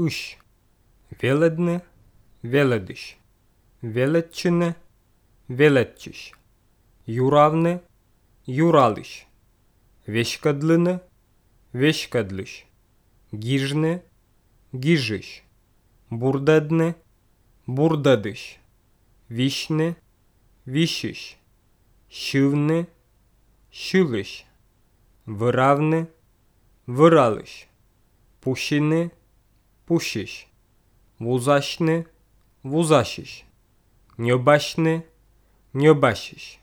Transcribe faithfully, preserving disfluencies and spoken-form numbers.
ış. Веледне, веледиш. Велетчине, велетчиш. Юравне, юралиш. Вешкадлине, вешкадлиш. Гижне, гижиш. Бурдедне, бурдадиш. Вишне, вишиш. Шивне, шилиш. Виравне, виралиш. Пушине, пушиш. Вузашне, вузашиш. Ньобашне, ньобашиш.